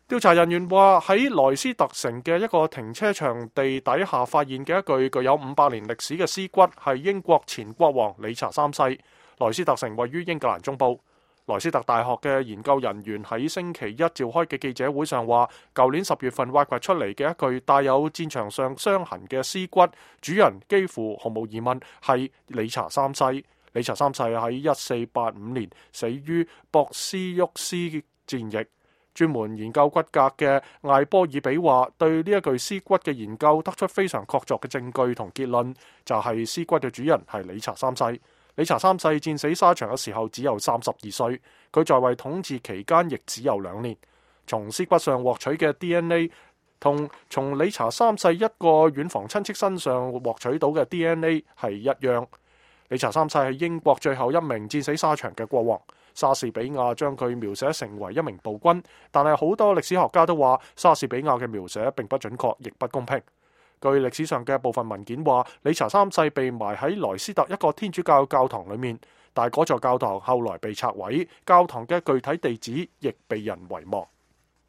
調查人員話喺萊斯特城嘅一個停車場地底下發現嘅一具具有500年歷史嘅屍骨係英國前國王理查三世。萊斯特城位於英格蘭中部。萊斯特大學嘅研究人員喺星期一召開嘅記者會上話，舊年10月份挖掘出嚟嘅一具帶有戰場上傷痕嘅屍骨，主人幾乎毫無疑問係理查三世。理查三世喺1485年死於博斯沃斯戰役。專門研究骨骼嘅艾波爾比話，對呢一具屍骨嘅研究得出非常確鑿嘅證據同結論，就係屍骨嘅主人係理查三世。理查三世戰死沙場嘅時候只有32歲，佢在位統治期間亦只有2年。從屍骨上獲取嘅 DNA 同從理查三世一個遠房親戚身上獲取到嘅 DNA 係一樣。理查三世係英國最後一名戰死沙場嘅國王。莎士比亞將佢描寫成為一名暴君，但係好多歷史學家都話莎士比亞嘅描寫並不準確，亦不公平。據歷史上嘅部分文件話，理查三世被埋喺萊斯特一個天主教教堂裏面，但係嗰座教堂後來被拆毀，教堂嘅具體地址亦被人遺忘。